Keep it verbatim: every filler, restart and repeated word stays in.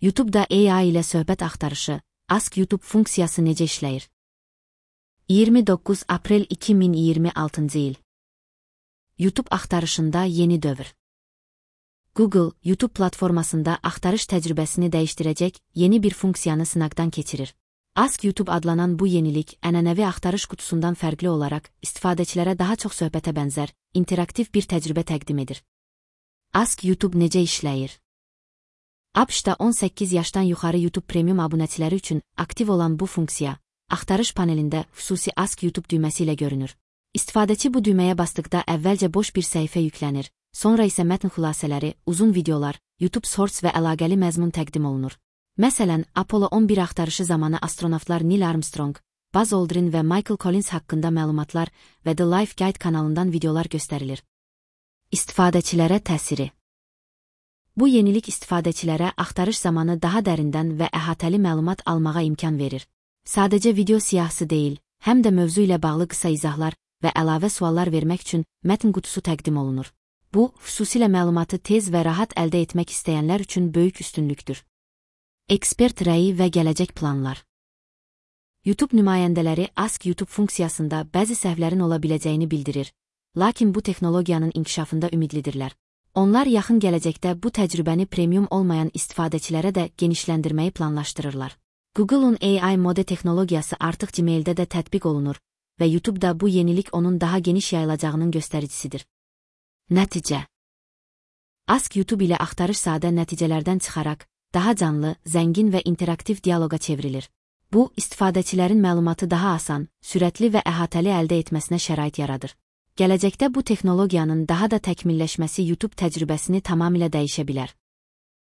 YouTube-da A I ilə söhbət axtarışı, Ask YouTube funksiyası necə işləyir? iyirmi doqquz aprel iki min iyirmi altıncı il. YouTube axtarışında yeni dövr. Google, YouTube platformasında axtarış təcrübəsini dəyişdirəcək yeni bir funksiyanı sınaqdan keçirir. Ask YouTube adlanan bu yenilik, ənənəvi axtarış qutusundan fərqli olaraq, istifadəçilərə daha çox söhbətə bənzər, interaktiv bir təcrübə təqdim edir. Ask YouTube necə işləyir? ABŞ-da on səkkiz yaşdan yuxarı YouTube Premium abunəçiləri üçün aktiv olan bu funksiya, axtarış panelində xüsusi Ask YouTube düyməsi ilə görünür. İstifadəçi bu düyməyə basdıqda əvvəlcə boş bir səhifə yüklənir, sonra isə mətn xülasələri, uzun videolar, YouTube Shorts və əlaqəli məzmun təqdim olunur. Məsələn, Apollo on bir axtarışı zamanı astronavtlar Neil Armstrong, Buzz Aldrin və Michael Collins haqqında məlumatlar və The Life Guide kanalından videolar göstərilir. İstifadəçilərə təsiri. Bu yenilik istifadəçilərə axtarış zamanı daha dərindən və əhatəli məlumat almağa imkan verir. Sadəcə video siyahısı deyil, həm də mövzu ilə bağlı qısa izahlar və əlavə suallar vermək üçün mətn qutusu təqdim olunur. Bu, xüsusilə məlumatı tez və rahat əldə etmək istəyənlər üçün böyük üstünlükdür. Ekspert rəyi və gələcək planlar. YouTube nümayəndələri Ask YouTube funksiyasında bəzi səhvlərin ola biləcəyini bildirir, lakin bu texnologiyanın inkişafında ümidlidirlər. Onlar yaxın gələcəkdə bu təcrübəni premium olmayan istifadəçilərə də genişləndirməyi planlaşdırırlar. Google'un A I mode texnologiyası artıq Gmail'də də tətbiq olunur və YouTube'da bu yenilik onun daha geniş yayılacağının göstəricisidir. Nəticə. Ask YouTube ilə axtarış sadə nəticələrdən çıxaraq, daha canlı, zəngin və interaktiv dialoqa çevrilir. Bu, istifadəçilərin məlumatı daha asan, sürətli və əhatəli əldə etməsinə şərait yaradır. Gələcəkdə bu texnologiyanın daha da təkmilləşməsi YouTube təcrübəsini tamamilə dəyişə bilər.